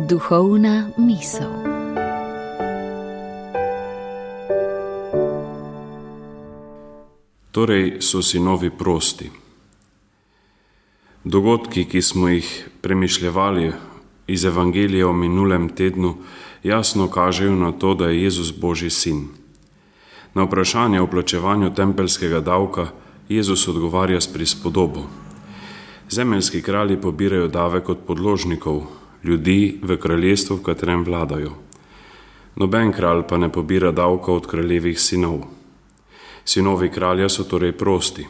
Duhovna misel. Torej so sinovi prosti. Dogodki, ki smo jih premišljevali iz Evangelija v minulem tednu, jasno kažejo na to, da je Jezus Božji sin. Na vprašanje o plačevanju tempeljskega davka Jezus odgovarja s prispodobo. Zemeljski kralji pobirajo davek od podložnikov, ljudi v kraljestvu, v katerem vladajo. Noben kralj pa ne pobira davka od kraljevih sinov. Sinovi kralja so torej prosti.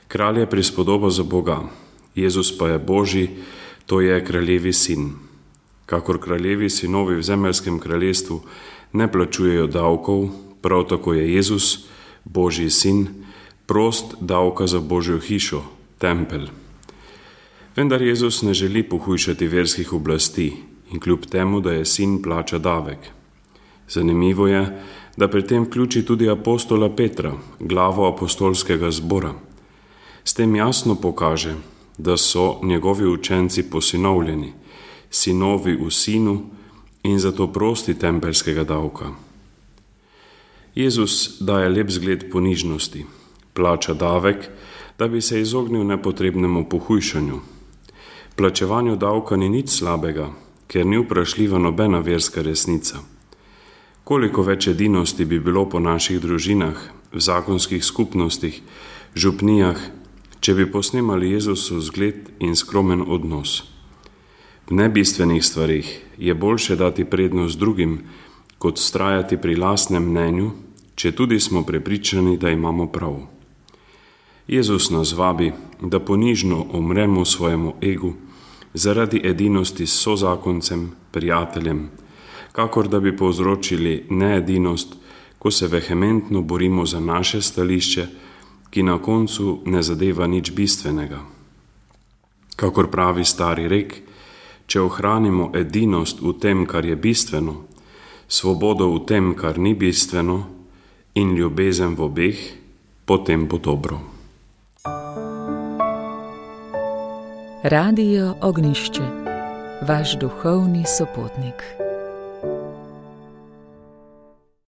Kralj je prispodoba za Boga, Jezus pa je Božji, to je kraljevi sin. Kakor kraljevi sinovi v zemeljskem kraljestvu ne plačujejo davkov, prav tako je Jezus, Božji sin, prost davka za Božjo hišo, tempelj. Vendar Jezus ne želi pohujšati verskih oblasti in kljub temu, da je sin, plača davek. Zanimivo je, da pri tem vključi tudi apostola Petra, glavo apostolskega zbora. S tem jasno pokaže, da so njegovi učenci posinovljeni, sinovi v sinu in zato prosti tempeljskega davka. Jezus daje lep zgled ponižnosti, plača davek, da bi se izognil nepotrebnemu pohujšanju. Plačevanju davka ni nič slabega, ker ni vprašljiva nobena verska resnica. Koliko več edinosti bi bilo po naših družinah, v zakonskih skupnostih, župnijah, če bi posnemali Jezusov zgled in skromen odnos. V nebistvenih stvarih je boljše dati prednost drugim, kot vztrajati pri lastnem mnenju, če tudi smo prepričani, da imamo prav. Jezus nas vabi, da ponižno umremo svojemu egu zaradi edinosti s sozakoncem, prijateljem, kakor da bi povzročili needinost, ko se vehementno borimo za naše stališče, ki na koncu ne zadeva nič bistvenega. Kakor pravi stari rek, če ohranimo edinost v tem, kar je bistveno, svobodo v tem, kar ni bistveno, in ljubezen v obeh, potem bo dobro. Radio Ognjišče, vaš duhovni sopotnik.